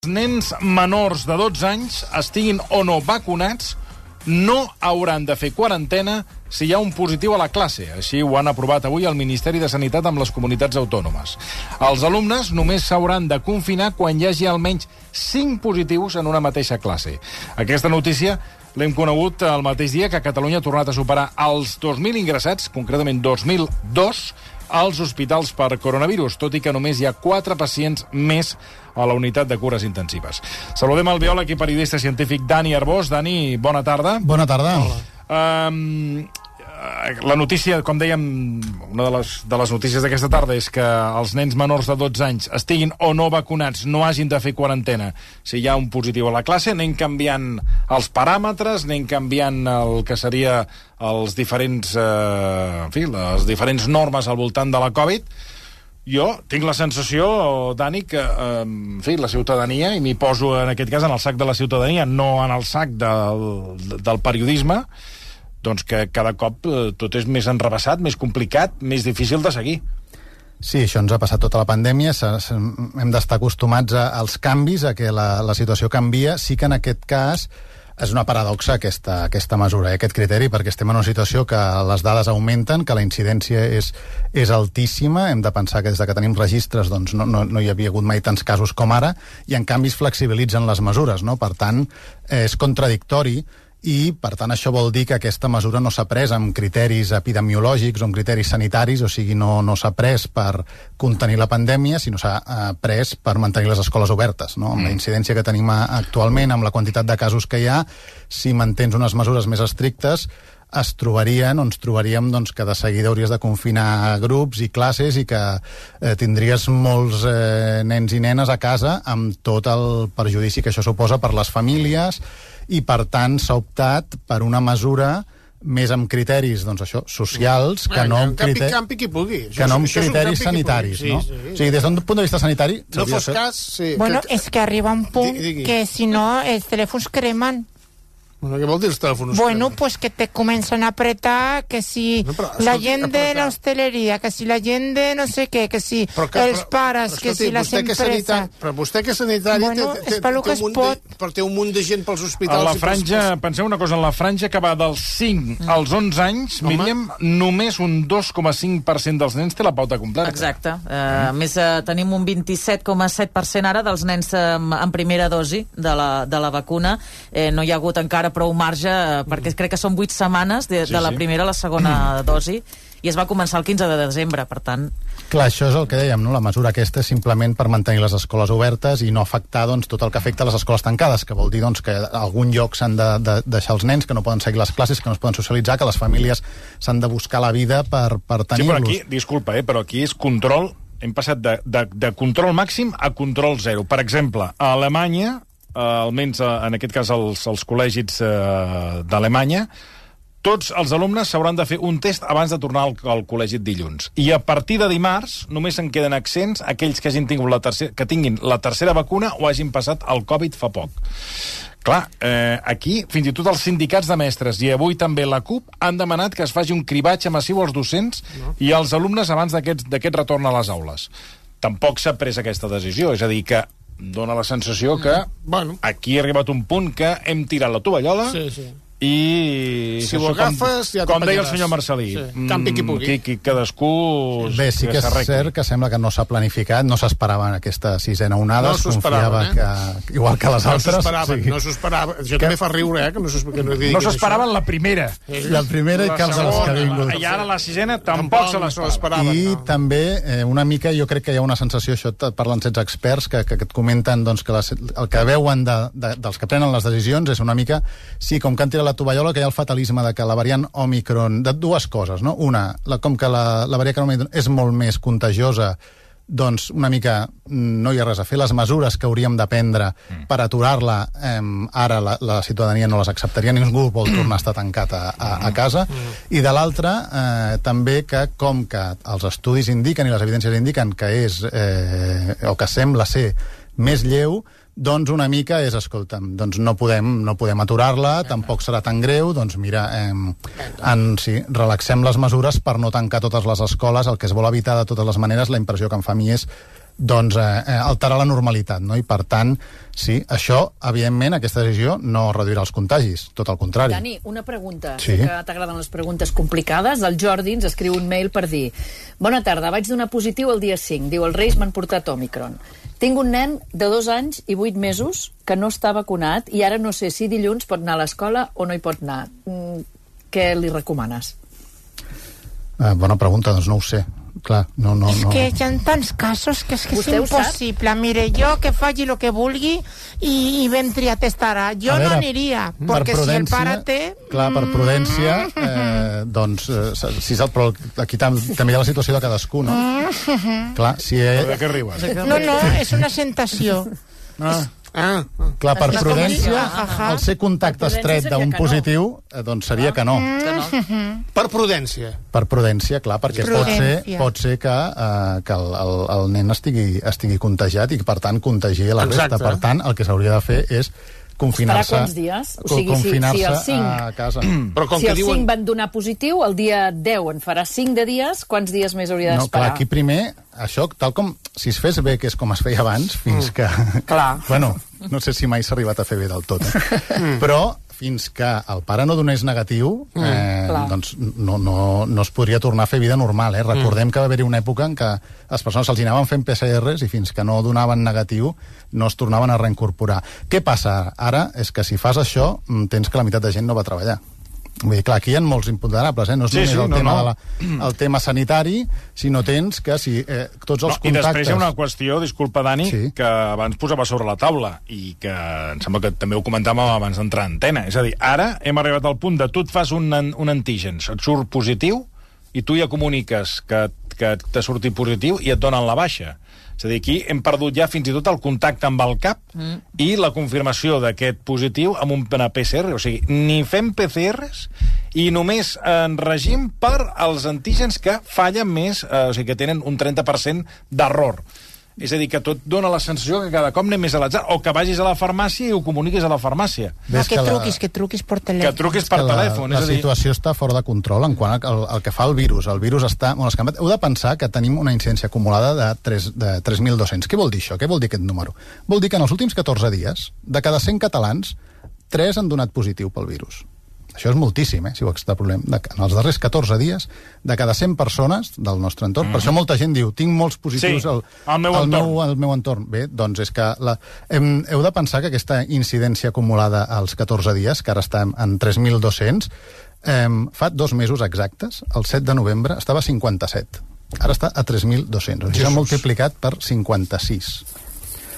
nens menors de 12 anys, estiguin o no vacunats, no hauran de fer quarantena si hi ha un positiu a la classe. Així ho han aprovat avui el Ministeri de Sanitat amb les comunitats autònomes. Els alumnes només s'hauran de confinar quan hi hagi almenys 5 positius en una mateixa classe. Aquesta notícia l'hem conegut el mateix dia que Catalunya ha tornat a superar els 2.000 ingressats, concretament 2.002, als hospitals per coronavirus, tot i que només hi ha 4 pacients més a la unitat de cures intensives. Saludem el biòleg i periodista científic Dani Arbós. Dani, bona tarda. Bona tarda. La notícia, com dèiem, una de les notícies d'aquesta tarda és que els nens menors de 12 anys estiguin o no vacunats, no hagin de fer quarantena si hi ha un positiu a la classe. Anem canviant els paràmetres, anem canviant el que seria els diferents, les diferents normes al voltant de la Covid. Jo tinc la sensació, Dani, que la ciutadania, i m'hi poso en aquest cas en el sac de la ciutadania, no en el sac del periodisme, doncs que cada cop tot és més enrevessat, més complicat, més difícil de seguir. Sí, això ens ha passat tota la pandèmia, hem d'estar acostumats als canvis, a que la situació canvia. Sí que en aquest cas és una paradoxa aquesta mesura, aquest criteri, perquè estem en una situació que les dades augmenten, que la incidència és altíssima. Hem de pensar que des que tenim registres doncs no hi havia hagut mai tants casos com ara, i en canvi es flexibilitzen les mesures, no? Per tant, és contradictori, i, per tant, això vol dir que aquesta mesura no s'ha pres amb criteris epidemiològics o amb criteris sanitaris, o sigui, no s'ha pres per contenir la pandèmia, sinó s'ha pres per mantenir les escoles obertes, no? Amb la incidència que tenim actualment, amb la quantitat de casos que hi ha, si mantens unes mesures més estrictes, ens trobaríem doncs, que de seguida hauries de confinar grups i classes i que tindries molts nens i nenes a casa amb tot el perjudici que això suposa per les famílies, i per tant s'ha optat per una mesura més amb criteris, doncs això, socials, que no amb criteris sanitaris, no? O sigui, des d'un punt de vista sanitari... No fos cas... Bueno, és que arriba un punt que si no els telèfons cremen. Bueno, què vol dir els telèfons? Bueno, pues que te comencen a apretar, que si la gent de l'hostaleria, que si la gent de no sé què, que si els pares, que si les empreses... Però vostè que és sanitari té un munt de gent pels hospitals... A la franja, penseu una cosa, en la franja que va dels 5 als 11 anys, Míriam, només un 2,5% dels nens té la pauta completa. Exacte. A més, tenim un 27,7% ara dels nens en primera dosi de la vacuna. No hi ha hagut encara prou marge, perquè crec que són 8 setmanes de la primera a la segona dosi, i es va començar el 15 de desembre, per tant... Clar, això és el que dèiem, no? La mesura aquesta és simplement per mantenir les escoles obertes i no afectar doncs, tot el que afecta a les escoles tancades, que vol dir doncs, que a algun lloc s'han de deixar els nens, que no poden seguir les classes, que no es poden socialitzar, que les famílies s'han de buscar la vida per tenir-los. Sí, però aquí, disculpa, però aquí és control, hem passat de control màxim a control zero. Per exemple, a Alemanya, almenys en aquest cas els col·legis d'Alemanya, tots els alumnes s'hauran de fer un test abans de tornar al col·legi dilluns. I a partir de dimarts només en queden exempts aquells que que tinguin la tercera vacuna o hagin passat el Covid fa poc. Clar, aquí fins i tot els sindicats de mestres i avui també la CUP han demanat que es faci un cribatge massiu als docents i als alumnes abans d'aquest retorn a les aules. Tampoc s'ha pres aquesta decisió, és a dir, que dona la sensació que aquí ha arribat un punt que hem tirat la tovallola i... Si ho agafes, ja com deia el senyor Marcelí, campi qui pugui. Cadascú... Bé, sí que és cert que sembla que no s'ha planificat, no s'esperava aquesta sisena onada, es confiava que, igual que les altres... No s'ho esperava, això també fa riure, que no s'esperaven la primera. La primera i cap de les que ha vingut. I ara la sisena tampoc se l'esperava. I també, una mica, jo crec que hi ha una sensació, això parlen 16 experts, que et comenten que el que veuen dels que prenen les decisions és una mica, sí, com que han tirat la tovallola, que hi ha el fatalisme de que la variant Omicron, de dues coses, no? Una, com que la variant Omicron és molt més contagiosa, doncs una mica no hi ha res a fer. Les mesures que hauríem de prendre per aturar-la, ara la ciutadania no les acceptaria, ningú vol tornar a estar tancat a casa. I de l'altra, també que com que els estudis indiquen i les evidències indiquen que és, o que sembla ser més lleu, doncs una mica és, escolta'm, doncs no podem aturar-la, tampoc serà tan greu, doncs mira, relaxem les mesures per no tancar totes les escoles. El que es vol evitar de totes les maneres, la impressió que em fa a mi és doncs alterar la normalitat, no? I per tant, sí, això, evidentment, aquesta decisió no reduirà els contagis, tot el contrari. Dani, una pregunta, que t'agraden les preguntes complicades. El Jordi ens escriu un mail per dir: bona tarda, vaig donar positiu el dia 5, diu, els Reis m'han portat Omicron. Tinc un nen de 2 anys i 8 mesos que no està vacunat i ara no sé si dilluns pot anar a l'escola o no hi pot anar. Què li recomanes? Bona pregunta, doncs no ho sé. Clar, no. Que hi ha tants casos que és impossible. Mire, jo que faci el que vulgui i ventri a testar. Jo no aniria, perquè si el pare té... Clar, per prudència, doncs, però aquí també hi ha la situació de cadascú, no? Clar, si... De què riuen? No, és una sentació. Clar, per prudència, el ser contacte estret d'un positiu, doncs seria que no. Per prudència. Per prudència, clar, perquè pot ser que el nen estigui contagiat i, per tant, contagiï la resta. Per tant, el que s'hauria de fer és confinar-se. Esperar quants dies? O sigui, si el 5... a casa. Si el 5 van donar positiu, el dia 10 en farà 5 de dies, quants dies més hauria d'esperar? No, clar, aquí primer, això, tal com... Si es fes bé, que és com es feia abans, fins que... Clar. Bueno, no sé si mai s'ha arribat a fer bé del tot, però fins que el pare no donés negatiu, doncs no es podria tornar a fer vida normal. Recordem que va haver-hi una època en què les persones se'ls anaven fent PCRs i fins que no donaven negatiu no es tornaven a reincorporar. Què passa ara? És que si fas això, tens que la meitat de gent no va treballar. Vull dir, clar, aquí hi ha molts imponderables, no és només el tema sanitari, sinó tens que si tots els contactes... I després hi ha una qüestió, disculpa, Dani, que abans posava sobre la taula i que em sembla que també ho comentàvem abans d'entrar a antena. És a dir, ara hem arribat al punt de tu et fas un antígen, et surt positiu i tu ja comuniques que t'ha sortit positiu i et donen la baixa. És a dir, aquí hem perdut ja fins i tot el contacte amb el CAP i la confirmació d'aquest positiu amb una PCR. O sigui, ni fem PCRs i només en regim per als antígens que fallen més, o sigui, que tenen un 30% d'error. És a dir, que tot dona la sensació que cada cop anem més a l'atzar, o que vagis a la farmàcia i ho comuniquis a la farmàcia. Que truquis per telèfon. Que truquis per telèfon. La situació està fora de control en quant al que fa el virus. El virus està molt escampat. Heu de pensar que tenim una incidència acumulada de 3.200. Què vol dir això? Què vol dir aquest número? Vol dir que en els últims 14 dies, de cada 100 catalans, 3 han donat positiu pel virus. Això és moltíssim, si ho extrapolem. En els darrers 14 dies, de cada 100 persones del nostre entorn, per això molta gent diu, tinc molts positius al meu entorn. Bé, doncs és que heu de pensar que aquesta incidència acumulada als 14 dies, que ara estem en 3.200, fa 2 mesos exactes, el 7 de novembre, estava a 57. Ara està a 3.200. Això s'ha multiplicat per 56.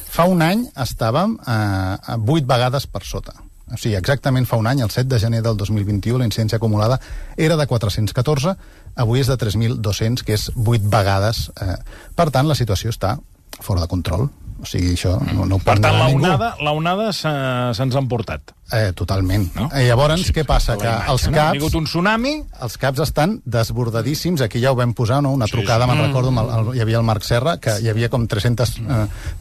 Fa un any estàvem a 8 vegades per sota. O sigui, exactament fa un any, el 7 de gener del 2021, la incidència acumulada era de 414, avui és de 3.200, que és 8 vegades. Per tant, la situació està fora de control. O sigui, això no ho pot negar ningú. Per tant, la onada se'ns ha emportat. Totalment. No? Llavors, què passa? Que els CAPs... Ha vingut un tsunami. Els CAPs estan desbordadíssims. Aquí ja ho vam posar, no? Una trucada, me'n recordo, hi havia el Marc Serra, que hi havia com 300...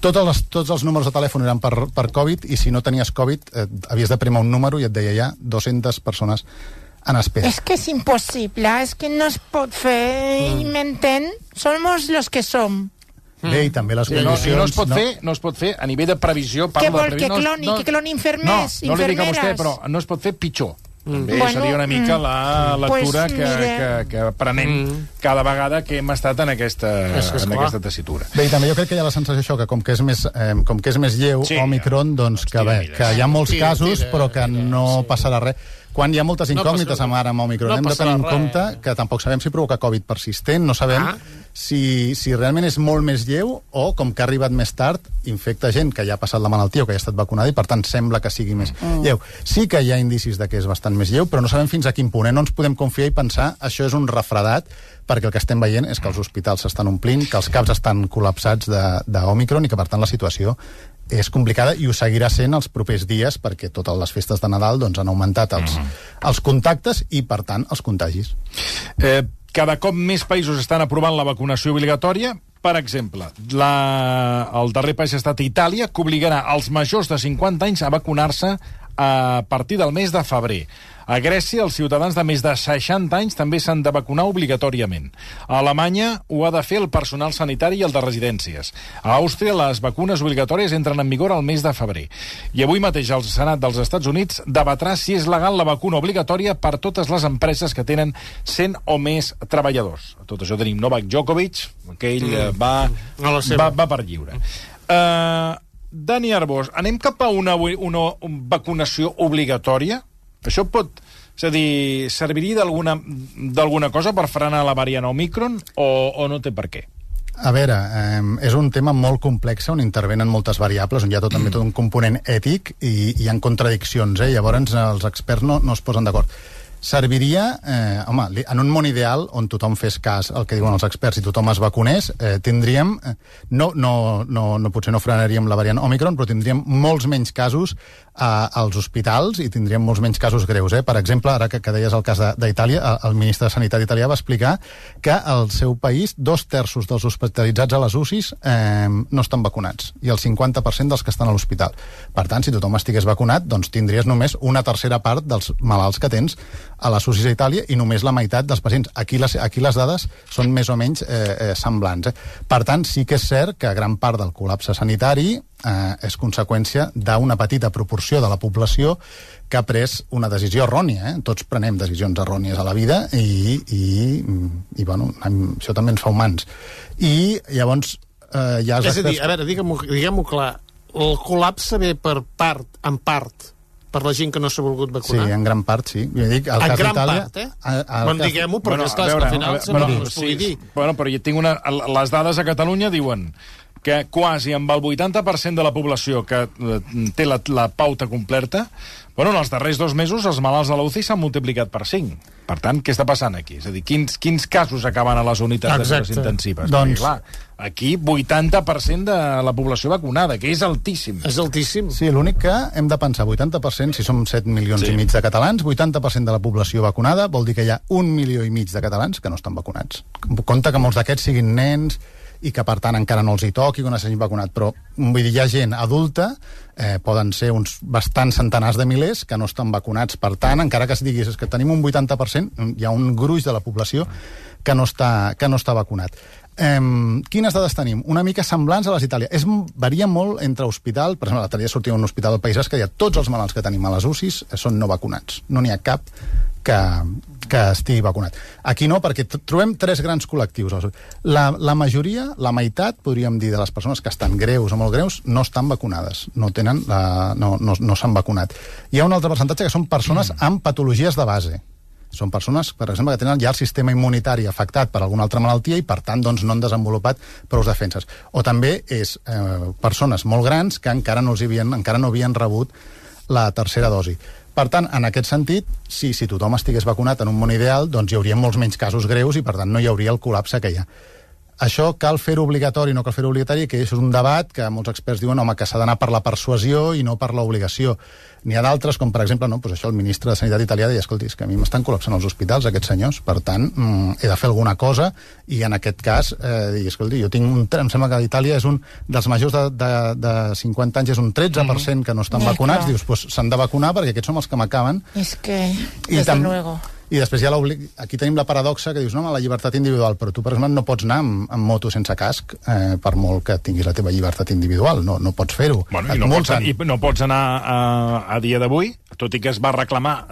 Tots els números de telèfon eren per Covid, i si no tenies Covid, havies de premar un número i et deia ja 200 persones en espera. És que és impossible, és que no es pot fer, m'entén? Somos los que som. Bé, i també les condicions... No es pot fer a nivell de previsió... Què vol, que cloni infermers? No li dic a vostè, però no es pot fer pitjor. Bé, seria una mica la lectura que prenem cada vegada que hem estat en aquesta tessitura. Bé, i també jo crec que hi ha la sensació això, que com que és més lleu, Omicron, doncs que hi ha molts casos, però que no passarà res. Quan hi ha moltes incògnites amb Omicron, hem de tenir en compte que tampoc sabem si provoca Covid persistent, no sabem si realment és molt més lleu o, com que ha arribat més tard, infecta gent que ja ha passat la malaltia o que ja ha estat vacunada i, per tant, sembla que sigui més lleu. Sí que hi ha indicis de que és bastant més lleu, però no sabem fins a quin punt. No ens podem confiar i pensar això és un refredat, perquè el que estem veient és que els hospitals s'estan omplint, que els CAPs estan col·lapsats d'Omicron i que, per tant, la situació és complicada i ho seguirà sent els propers dies perquè totes les festes de Nadal doncs, han augmentat els contactes i, per tant, els contagis. Cada cop més països estan aprovant la vacunació obligatòria. Per exemple, el darrer país ha estat Itàlia, que obligarà els majors de 50 anys a vacunar-se a partir del mes de febrer. A Grècia, els ciutadans de més de 60 anys també s'han de vacunar obligatòriament. A Alemanya ho ha de fer el personal sanitari i el de residències. A Àustria, les vacunes obligatòries entren en vigor al mes de febrer. I avui mateix el Senat dels Estats Units debatrà si és legal la vacuna obligatòria per totes les empreses que tenen 100 o més treballadors. A tot això tenim Novak Djokovic, que ell va per lliure. Dani Arbós, anem cap a una vacunació obligatòria? Això pot... És a dir, serviria d'alguna cosa per frenar la variant Omicron o no té per què? A veure, és un tema molt complex on intervenen moltes variables, on hi ha també tot un component ètic i hi ha contradiccions, llavors els experts no es posen d'acord. Serviria, en un món ideal on tothom fes cas al que diuen els experts i tothom es vacunés, tindríem, potser no frenaríem la variant Omicron, però tindríem molts menys casos als hospitals i tindríem molts menys casos greus. Per exemple, ara que deies el cas d'Itàlia, el ministre de Sanitat italià va explicar que al seu país 2/3 dels hospitalitzats a les UCIs no estan vacunats i el 50% dels que estan a l'hospital. Per tant, si tothom estigués vacunat, doncs tindries només una tercera part dels malalts que tens a les UCIs a Itàlia i només la meitat dels pacients. Aquí les dades són més o menys semblants. Per tant, sí que és cert que gran part del col·lapse sanitari és conseqüència d'una petita proporció de la població que ha pres una decisió errònia. Tots prenem decisions errònies a la vida i bueno, això també ens fa humans. I llavors és a dir, a veure, diguem-ho clar, el col·lapse ve en part per la gent que no s'ha volgut vacunar? Sí, en gran part, sí. Jo dic, en gran part, Bon, diguem-ho, perquè esclar, al final no es pugui dir. Bueno, però jo tinc les dades a Catalunya diuen que quasi amb el 80% de la població que té la pauta completa, bueno, en els darrers 2 mesos els malalts de la UCI s'han multiplicat per 5. Per tant, què està passant aquí? És a dir, quins casos acaben a les unitats de cures intensives? Doncs... Clar, aquí 80% de la població vacunada, que és altíssim. És altíssim. Sí, l'únic que hem de pensar, 80%, si som 7 milions i mig de catalans, 80% de la població vacunada vol dir que hi ha 1,5 milió de catalans que no estan vacunats. Compte que molts d'aquests siguin nens i que, per tant, encara no els hi toqui quan s'hagin vacunat, però vull dir, hi ha gent adulta, poden ser uns bastants centenars de milers que no estan vacunats. Per tant, encara que es diguis que tenim un 80%, hi ha un gruix de la població que no està vacunat. Quines dades tenim? Una mica semblants a les d'Itàlia. Varia molt entre hospital. Per exemple, l'altre dia sortia un hospital del País Basc que tots els malalts que tenim a les UCIs són no vacunats. No n'hi ha cap que estigui vacunat. Aquí no, perquè trobem 3 grans col·lectius. La majoria, la meitat, podríem dir, de les persones que estan greus o molt greus, no estan vacunades. No s'han vacunat. Hi ha un altre percentatge que són persones amb patologies de base. Són persones, per exemple, que tenen ja el sistema immunitari afectat per alguna altra malaltia i, per tant, doncs, no han desenvolupat prou defenses. O també és persones molt grans que encara no havien rebut la tercera dosi. Per tant, en aquest sentit, si tothom estigués vacunat en un món ideal, doncs hi hauria molts menys casos greus i, per tant, no hi hauria el col·lapse que hi ha. Això cal fer-ho obligatori, no cal fer-ho obligatori, que és un debat que molts experts diuen que s'ha d'anar per la persuasió i no per l'obligació. N'hi ha d'altres, com per exemple, el ministre de Sanitat italià deia, escolti, és que a mi m'estan col·lapsant els hospitals, aquests senyors, per tant, he de fer alguna cosa, i en aquest cas, escolti, em sembla que a Itàlia és un dels majors de 50 anys, és un 13% que no estan vacunats, dius, doncs s'han de vacunar perquè aquests són els que m'acaben. És que, desde luego... I després aquí tenim la paradoxa que dius, no, la llibertat individual, però tu, per exemple, no pots anar amb moto sense casc per molt que tinguis la teva llibertat individual, no pots fer-ho. Bueno, i no pots anar a dia d'avui, tot i que es va reclamar,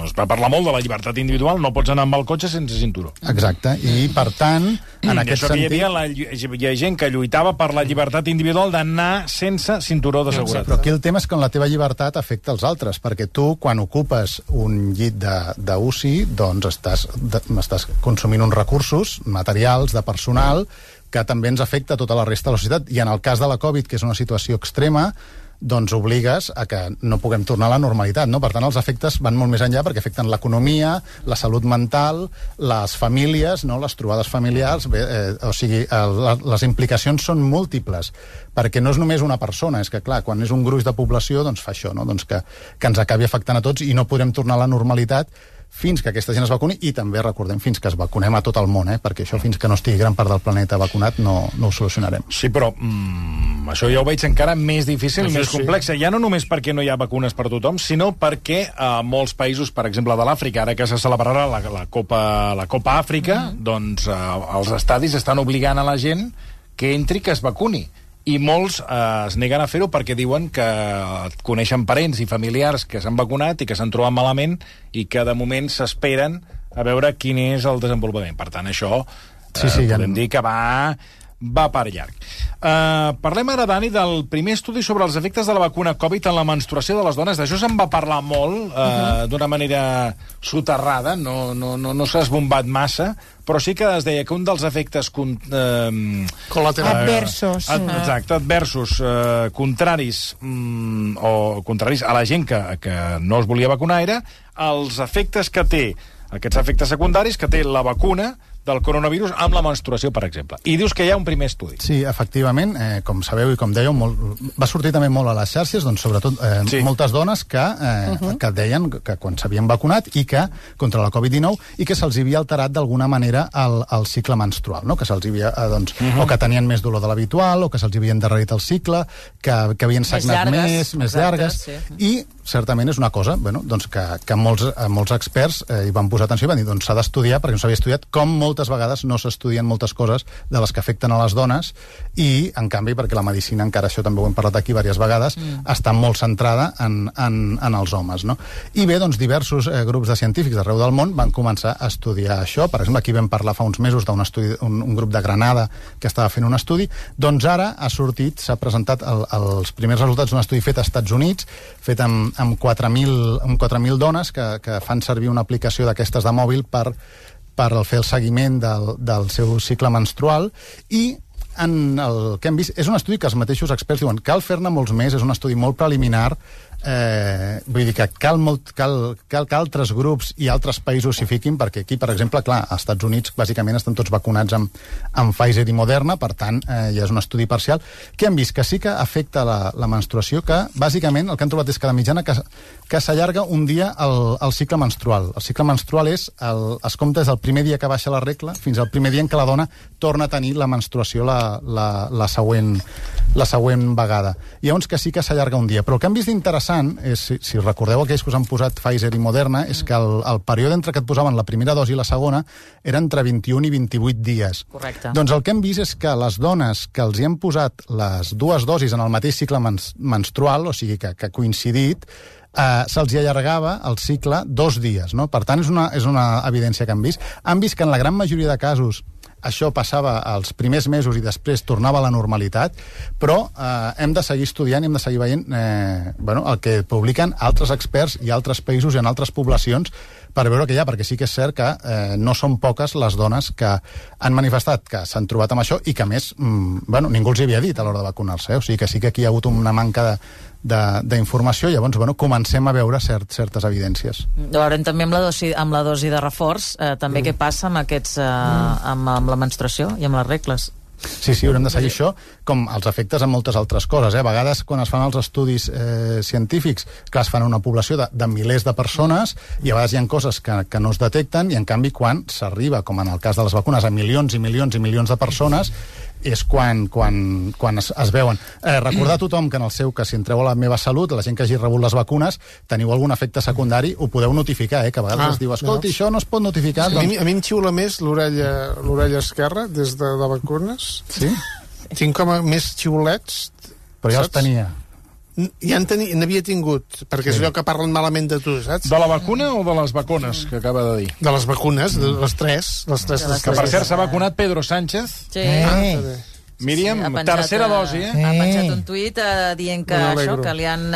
es va parlar molt de la llibertat individual, no pots anar amb el cotxe sense cinturó. Exacte, i per tant, en aquest sentit... Hi ha gent que lluitava per la llibertat individual d'anar sense cinturó de seguretat. Però aquí el tema és que la teva llibertat afecta els altres, perquè tu, quan ocupes un llit d'UCI, doncs estàs consumint uns recursos materials, de personal, que també ens afecta tota la resta de la societat. I en el cas de la Covid, que és una situació extrema, doncs obligues a que no puguem tornar a la normalitat, no? Per tant, els efectes van molt més enllà perquè afecten l'economia, la salut mental, les famílies, no? Les trobades familiars, o sigui, les implicacions són múltiples, perquè no és només una persona, és que, clar, quan és un gruix de població, doncs fa això, no? Doncs que ens acabi afectant a tots i no podrem tornar a la normalitat fins que aquesta gent es vacuni, i també, recordem, fins que es vacunem a tot el món, perquè això fins que no estigui gran part del planeta vacunat no ho solucionarem. Sí, però això ja ho veig encara més difícil, més complex. Ja no només perquè no hi ha vacunes per tothom, sinó perquè a molts països, per exemple de l'Àfrica, ara que se celebrarà la Copa Àfrica, doncs els estadis estan obligant a la gent que entri, que es vacuni. I molts es neguen a fer-ho perquè diuen que coneixen parents i familiars que s'han vacunat i que s'han trobat malament i que de moment s'esperen a veure quin és el desenvolupament. Per tant, això podem dir que va per llarg. Parlem ara, Dani, del primer estudi sobre els efectes de la vacuna Covid en la menstruació de les dones. D'això se'n va parlar molt, d'una manera soterrada, no s'ha esbombat massa, però sí que es deia que un dels efectes adversos contraris a la gent que no es volia vacunar era els efectes que té, aquests efectes secundaris que té la vacuna del coronavirus amb la menstruació, per exemple. I dius que hi ha un primer estudi. Sí, efectivament, com sabeu i com dèieu, va sortir també molt a les xarxes, doncs sobretot moltes dones que deien que quan s'havien vacunat i que contra la Covid-19 i que se'ls havia alterat d'alguna manera el cicle menstrual, no? Que se'ls havia, o que tenien més dolor de l'habitual, o que se'ls havia endarrerit el cicle, que havien sagnat més llargues, i certament és una cosa que molts experts hi van posar atenció i van dir, doncs s'ha d'estudiar, perquè no s'havia estudiat, com moltes vegades no s'estudien moltes coses de les que afecten a les dones, i en canvi, perquè la medicina, encara això també ho hem parlat aquí diverses vegades, està molt centrada en els homes, no? I bé, doncs diversos grups de científics d'arreu del món van començar a estudiar això. Per exemple, aquí vam parlar fa uns mesos d'un estudi, un grup de Granada que estava fent un estudi. Doncs ara s'ha presentat els primers resultats d'un estudi fet als Estats Units, fet amb 4.000 dones que fan servir una aplicació d'aquestes de mòbil per fer el seguiment del seu cicle menstrual, i el que hem vist és un estudi que els mateixos experts diuen cal fer-ne molts més, és un estudi molt preliminar, vull dir que cal que altres grups i altres països s'hi fiquin, perquè aquí, per exemple, clar, als Estats Units bàsicament estan tots vacunats amb Pfizer i Moderna, per tant, ja és un estudi parcial, que hem vist que sí que afecta la menstruació, que bàsicament el que han trobat és que de mitjana que s'allarga un dia el cicle menstrual. El cicle menstrual es compta des del primer dia que baixa la regla fins al primer dia en què la dona torna a tenir la menstruació la següent vegada. Llavors que sí que s'allarga un dia. Però el que hem vist interessant és, si recordeu aquells que us han posat Pfizer i Moderna, és que el període entre que et posaven la primera dosi i la segona era entre 21 i 28 dies. Correcte. Doncs el que hem vist és que les dones que els hi han posat les dues dosis en el mateix cicle menstrual, o sigui que ha coincidit, se'ls hi allargava el cicle 2 dies, no? Per tant, és una evidència que han vist. Han vist que en la gran majoria de casos això passava als primers mesos i després tornava a la normalitat, però hem de seguir estudiant i hem de seguir veient el que publiquen altres experts i altres països i en altres poblacions per veure què hi ha, perquè sí que és cert que no són poques les dones que han manifestat que s'han trobat amb això i que, a més, ningú els hi havia dit a l'hora de vacunar-se, o sigui que sí que aquí hi ha hagut una manca d'informació, llavors comencem a veure certes evidències. Veurem també amb la dosi de reforç també què passa amb amb la menstruació i amb les regles. Sí, haurem de seguir això, com els efectes en moltes altres coses. A vegades, quan es fan els estudis científics, clar, es fan una població de milers de persones i a vegades hi ha coses que no es detecten, i en canvi quan s'arriba, com en el cas de les vacunes, a milions i milions i milions de persones, és quan es veuen. Recordar a tothom que en el seu cas, si entreu a la meva salut, la gent que hagi rebut les vacunes, teniu algun efecte secundari, ho podeu notificar, que a vegades es diu, escolti, això no es pot notificar. A mi em xiula més l'orella esquerra des de vacunes. Sí? Tinc com a més xiulets. Però ja els tenia. Ja n'havia tingut, perquè és allò que parlen malament de tu, saps? De la vacuna o de les vacunes, que acaba de dir? De les vacunes, de les tres. Que per cert s'ha vacunat Pedro Sánchez. Sí. Míriam, tercera dosi, Ha penjat un tuit dient que li han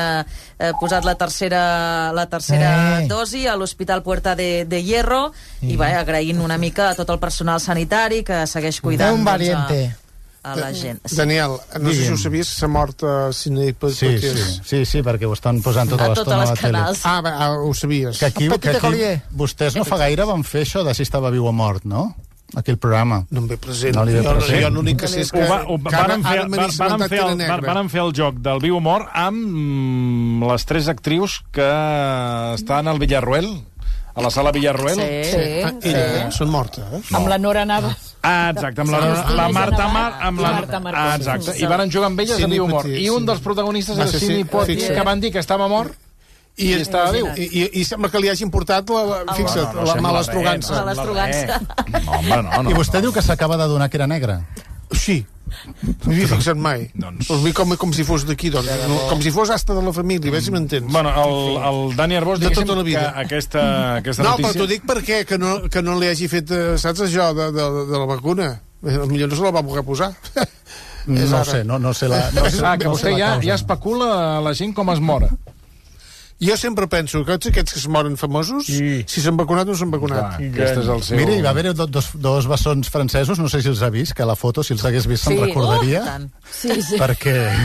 posat la tercera dosi a l'Hospital Puerta de Hierro, i agraint una mica a tot el personal sanitari que segueix cuidant a la gent. Daniel, no sé si ho sabies, s'ha mort Sidney Poitier. Sí, perquè ho estan posant tota l'estona a la tele. Ho sabies. Que aquí vostès no fa gaire van fer això de si estava viu o mort, no? Aquell programa. No em ve present. Jo l'únic que sé és que van fer el joc del viu o mort amb les 3 actrius que estan al Villarruel, a la sala Villarroel. Sí. Són mortes, Amb la Nora Navas. Exacte, amb la Marta Mar... Exacte, i van jugar amb elles a viu mort. I un dels protagonistes era Sidney Poitier, que van dir que estava mort i estava viu. I sembla que li hagin portat, fixa't, la malastrugança. No. I vostè diu que s'acaba de donar que era negra? Sí. No m'hi he fixat mai. Com si fos d'aquí, com si fos hasta de la família, a veure si m'entens. Bueno, el Dani Arbós, diguéssim que aquesta notícia... No, però t'ho dic perquè que no li hagi fet, saps això, de la vacuna. Potser no se la va poder posar. No sé, no sé la... Que vostè ja especula la gent com es mora. Jo sempre penso que tots aquests que es moren famosos, si s'han vacunat o no s'han vacunat. Aquest és el seu... Mira, hi va haver dos bessons francesos, no sé si els ha vist, que la foto, si els hagués vist, se'n recordaria. Sí. Perquè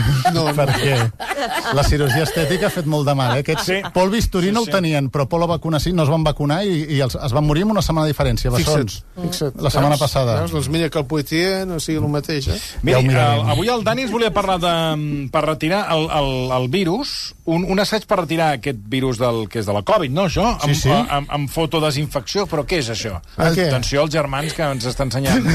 la cirurgia estètica ha fet molt de mal. Pol Bisturí no el tenien, però Pol la vacuna sí, no es van vacunar i es van morir en una setmana de diferència, bessons. Fixa't. La setmana passada. Doncs mira que el Poitier no sigui el mateix, Mira, avui el Dani ens volia parlar per retirar el virus, un assaig per retirar aquest virus que és de la Covid, no, això? Sí. Amb fotodesinfecció, però què és això? Què? Atenció als germans que ens està ensenyant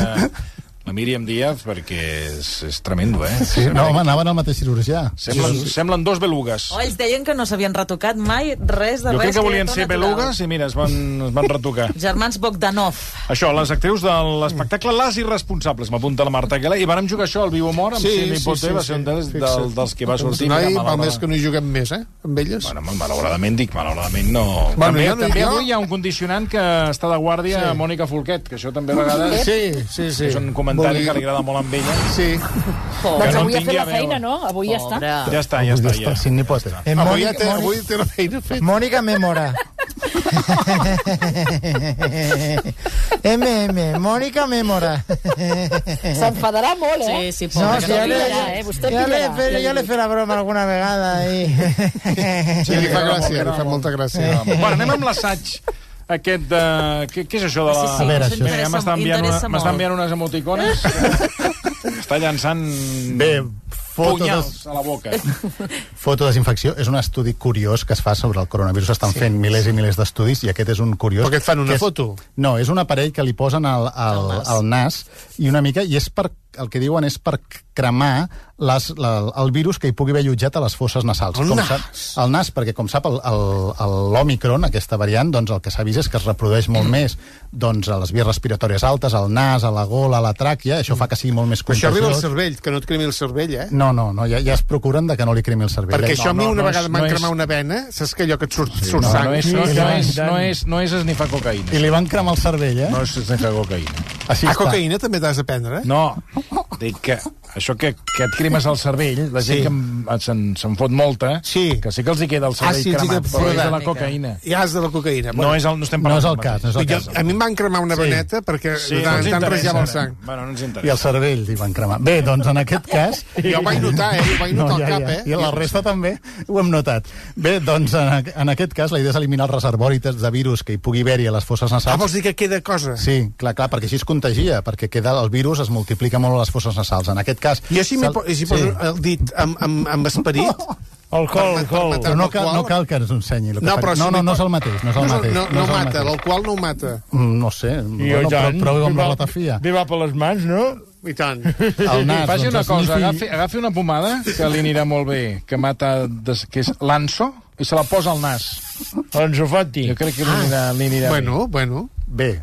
la Míriam Díaz, perquè és tremendo, Sí, no, home, anaven al mateix cirurgià. Semblen dos belugues. Ells deien que no s'havien retocat mai res de res. Jo crec que volien ser belugues i mira, es van retocar. Germans Bogdanov. Això, les actrius de l'espectacle Les Irresponsables, m'apunta la Marta Aguilera, i vàrem jugar això al Viu Humor, amb Sidney Poitier, va ser un dels que va sortir. Val més que no hi juguem més, amb elles. Bueno, malauradament no. També avui hi ha un condicionant que està de guàrdia a Mònica Folquet, que això també a vegades... Sí. És un comentari que li agrada molt amb ella. Sí. Doncs avui ha fet la feina, no? Avui ja està. Ja està. Sidney Poitier. Avui té la feina feta. Mònica Memora. Mònica Memora. S'enfadarà molt, Sí, ja le faré la broma alguna vegada. Sí, li fa gràcia, li fa molta gràcia. Bueno, anem amb l'assaig aquest de... Què és això de la... Sí, a veure, això m'està enviant unes emoticones. Està llançant punyals a la boca. Fotodesinfecció és un estudi curiós que es fa sobre el coronavirus. Estan fent milers i milers d'estudis i aquest és un curiós... Perquè et fan una foto? No, és un aparell que li posen al nas i una mica... I és el que diuen és per cremar el virus que hi pugui haver allotjat a les fosses nasals. El nas, perquè com sap l'Òmicron, aquesta variant, doncs el que s'ha vist és que es reprodueix molt més doncs, a les vies respiratòries altes, al nas, a la gola, a la tràquea, això fa que sigui molt més contagiós. Però això arriba al cervell, que no et cremi el cervell, No, ja es procuren de que no li cremi el cervell. Perquè això a mi una vegada m'han cremat una vena, saps que allò que et surt sang? No és esnifar cocaïna. I li van cremar el cervell, No és esnifar cocaïna. Cocaïna també t'has de prendre? No, dic que això que et cremes al cervell, la gent que se'n fot molta, que sí que els hi queda el cervell cremat, però és de la cocaïna. Ja és de la cocaïna. No estem parlant. No és el cas. A mi em van cremar una veneta perquè tant rejava el sang. Bueno, no ens interessa. I el cervell li van cremar. Bé, doncs en aquest cas... Jo ho vaig notar, ho vaig notar al cap, I la resta també ho hem notat. Bé, doncs en aquest cas la idea és eliminar els reservoris de virus que hi pugui haver-hi a les fosses nasals. Vols dir que queda cosa? Sí, clar, perquè així es contagia, perquè el virus es multiplica molt a les fosses nasals. En aquest cas... Jo si poso el dit amb esperit... Alcohol. Però no cal que ens ensenyi. No és el mateix. No mata, l'alcohol no ho mata. No sé, prou amb la ratafia. Bé va per les mans, no? I tant. El nas, faci una cosa, agafi una pomada que li anirà molt bé, que mata, que és l'Anso, i se la posa al nas. L'Anso Fati. Jo crec que li anirà bé. Bueno. Bé,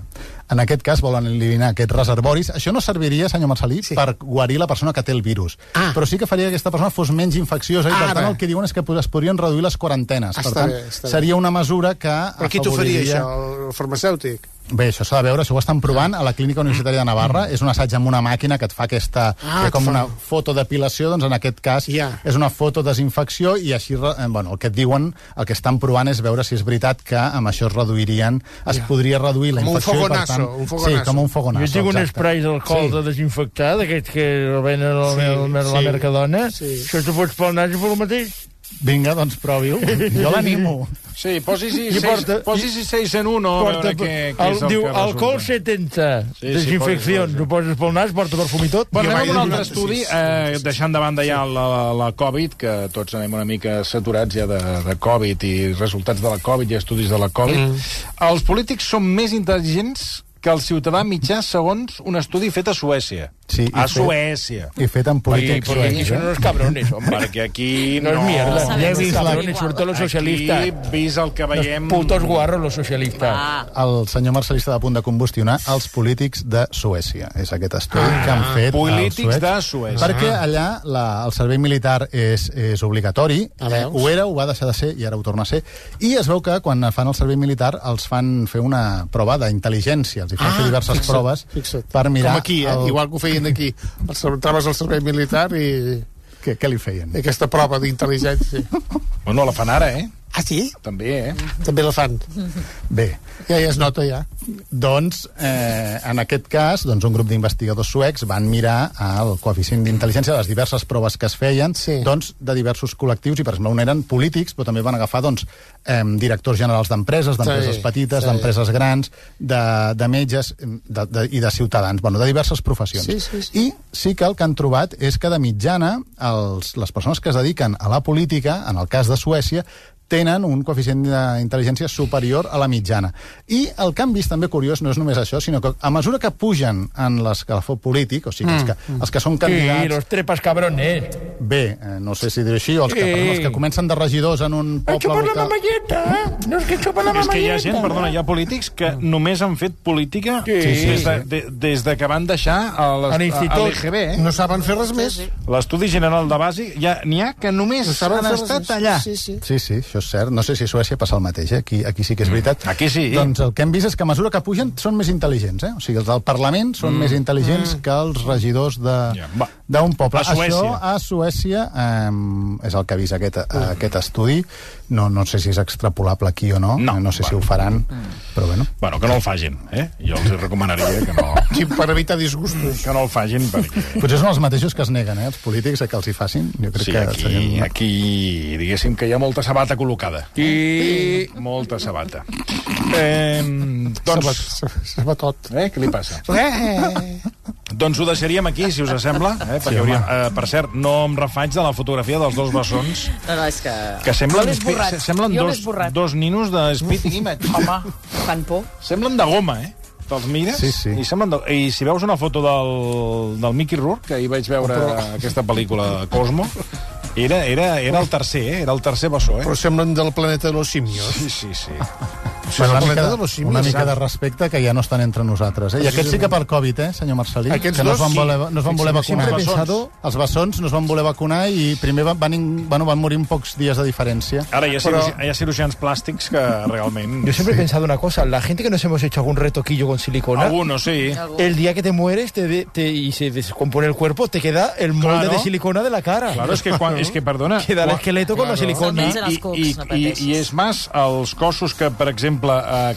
en aquest cas volen eliminar aquests reservoris. Això no serviria, senyor Marcelí, per guarir la persona que té el virus. Però sí que faria que aquesta persona fos menys infecciosa i per tant el que diuen és que es podrien reduir les quarantenes. Per tant, seria una mesura que Però qui t'ho faria, això? El farmacèutic? Bé, això s'ha de veure, això ho estan provant a la Clínica Universitària de Navarra. És un assaig amb una màquina que et fa aquesta... com una fotodepilació, doncs en aquest cas és una fotodesinfecció i així, el que et diuen, el que estan provant és veure si és veritat que amb això es reduirien, es podria reduir la infecció. Com un fogonasso. Sí, com un fogonasso. Jo tinc un spray d'alcohol de desinfectar, d'aquests que el venen a la Mercadona. Això t'ho fots pel nas i pel mateix. Vinga, doncs provi-ho. Jo l'animo. Sí, posi-s'hi 6 en 1, a veure què és el que diu, resulta. alcohol 70, desinfeccions, ho poses pel nas, porta perfum i tot. Bueno, anem a un altre estudi, deixant de banda ja la Covid, que tots anem una mica saturats ja de Covid i resultats de la Covid i estudis de la Covid. Els polítics són més intel·ligents que el ciutadà mitjà segons un estudi fet a Suècia. Sí, Suècia. I fet amb polítics Porque aquí son unos cabrones, hombre. Perquè aquí no es mierda. sabem Ya he si visto són cabrones, igual. sobre todo los socialistas. Aquí, vist el que veiem... Los putos guarros, los socialistas. El senyor Marcelí està a punt de combustionar els polítics de Suècia. És aquest estudi que han fet polítics els de suecs. Suècia. Perquè allà el servei militar és obligatori. Ho era, ho va deixar de ser i ara ho torna a ser. I es veu que quan fan el servei militar els fan fer una prova d'intel·ligència. Els hi fan fer diverses proves per mirar... Com aquí, igual que ho feien aquí. Entraves al servei militar i... Què li feien? Aquesta prova d'intel·ligència. Bueno, la fan ara, Ah, sí? També, També la fan. Bé, Ja es nota, ja. doncs, en aquest cas, doncs, un grup d'investigadors suecs van mirar el coeficient d'intel·ligència de les diverses proves que es feien, doncs, de diversos col·lectius, i per exemple, un eren polítics, però també van agafar doncs, directors generals d'empreses petites, d'empreses grans, de metges i de ciutadans, bueno, de diverses professions. I sí que el que han trobat és que de mitjana les persones que es dediquen a la política, en el cas de Suècia, tenen un coeficient d'intel·ligència superior a la mitjana. I el que han vist també curiós no és només això, sinó que a mesura que pugen en l'escalafó polític, o sigui, els que són candidats... Sí, los trepas cabrones. Bé, no sé si dir així, o els que comencen de regidors en un poble local... local... la mamalleta, no és que xupa la mamalleta. És que hi ha gent, perdona, hi ha polítics que només han fet política des de que van deixar a l'EGB. No saben fer res més. L'Estudi General de Bàsic, n'hi ha que només han estat allà. Sí, això és cert. No sé si a Suècia passa el mateix, Aquí sí que és veritat. Aquí sí. Doncs el que hem vist és que a mesura que pugen són més intel·ligents, O sigui, els del Parlament són més intel·ligents que els regidors d'un poble. Això a Suècia és el que ha vist aquest estudi. No sé si és extrapolable aquí o no. No sé si ho faran, però bueno. Bueno, que no el facin, Jo els recomanaria que no... Sí, per evitar disgustos. Que no el facin, perquè... Potser són els mateixos que es neguen, els polítics, que els hi facin. Jo crec que aquí diguéssim que hi ha molta sabata col·locada. I... Molta sabata. Sabatot. Què li passa? Doncs ho deixaríem aquí, si us sembla, perquè per cert, no em refaig de la fotografia dels dos bessons. No, és que semblen dos ninos de Speed Image. Home, fan por. Semblen de goma, Te'ls mires i semblen i si veus una foto del Mickey Rourke, que ahir vaig veure aquesta pel·lícula Cosmo, era el tercer, era el tercer bessó, Però semblen del planeta de los simios. Sí. Una mica de respecte, que ja no estan entre nosaltres. I aquests sí que per Covid, senyor Marcelí? Aquests que no es van voler vacunar. Sempre he pensado... Els bessons no es van voler vacunar i primer van morir en pocs dies de diferència. Ara hi ha cirurgians plàstics que realment... Yo siempre he pensado una cosa, la gente que nos hemos hecho algún retoquillo con silicona... Algunos, sí. El día que te mueres y se descompone el cuerpo, te queda el molde de silicona de la cara. Claro, es que perdona... Queda el esqueleto con la silicona. I és més, els cossos que, per exemple,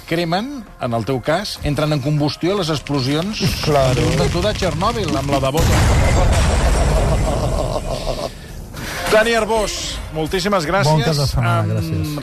cremen, en el teu cas, entren en combustió a les explosions de Txernòbil, amb la de Bota. Dani Arbós, moltíssimes gràcies. Bon cap de setmana, gràcies.